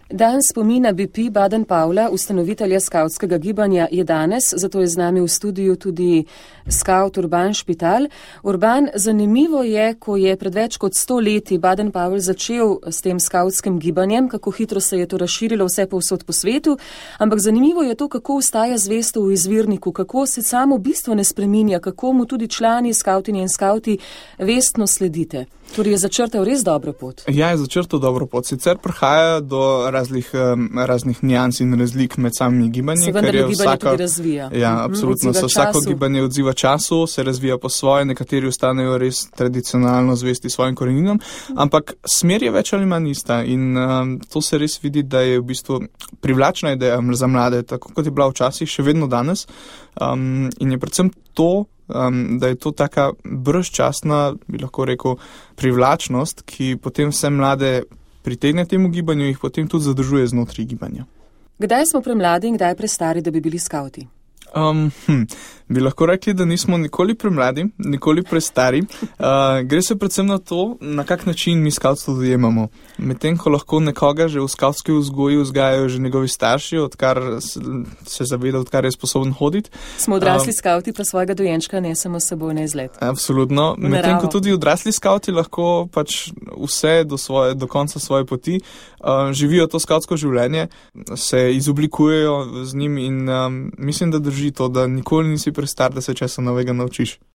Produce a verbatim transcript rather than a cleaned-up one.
Dan spomina B P Baden-Powella, ustanovitelja skavtskega gibanja, je danes, zato je z nami v studiu tudi skavt Urban Špital. Urban, zanimivo je, ko je pred več kot sto leti Baden-Powell začel s tem skavtskim gibanjem, kako hitro se je to razširilo vse povsod po svetu, ampak zanimivo je to, kako ostaja zvesto v izvirniku, kako se samo bistvo ne spreminja, kako mu tudi člani skavtinje in skavti vestno sledite. Torej je začrtal res dobro pot. Ja, je začrtal dobro pot. Sicer prihaja do raznih, raznih nijans in razlik med samimi gibanji. Se vendar gibanje vsaka, tudi razvija. Ja, absolutno. Se vsako gibanje odziva času, se razvija po svoje, nekateri ostanejo res tradicionalno zvesti svojim koreninom, ampak smer je več ali manj ista in um, to se res vidi, da je v bistvu privlačna ideja za mlade, tako kot je bila včasih, še vedno danes. Um, in je predvsem to, Um, da je to taka brezčasna, bi lahko rekel, privlačnost, ki potem vse mlade pritegne temu gibanju in jih potem tudi zadržuje znotraj gibanja. Kdaj smo premladi in kdaj prestari, da bi bili skavti? Um, hm, bi lahko rekli, da nismo nikoli premladi, nikoli prestari. Uh, gre se predvsem na to, na kak način mi skavtstvo dojemamo. Medtem, ko lahko nekoga že v skavtski vzgoji vzgajajo že njegovi starši, odkar se zaveda, odkar je sposoben hoditi. Smo odrasli uh, skavti pa svojega dojenčka nesemo s seboj na izlet. Absolutno. Medtem, ko tudi odrasli skavti lahko pač vse do, svoje, do konca svoje poti uh, živijo to skavtsko življenje, se izoblikujejo z njim in um, mislim, da drži to, da nikoli nisi prestar, da se česa novega naučiš.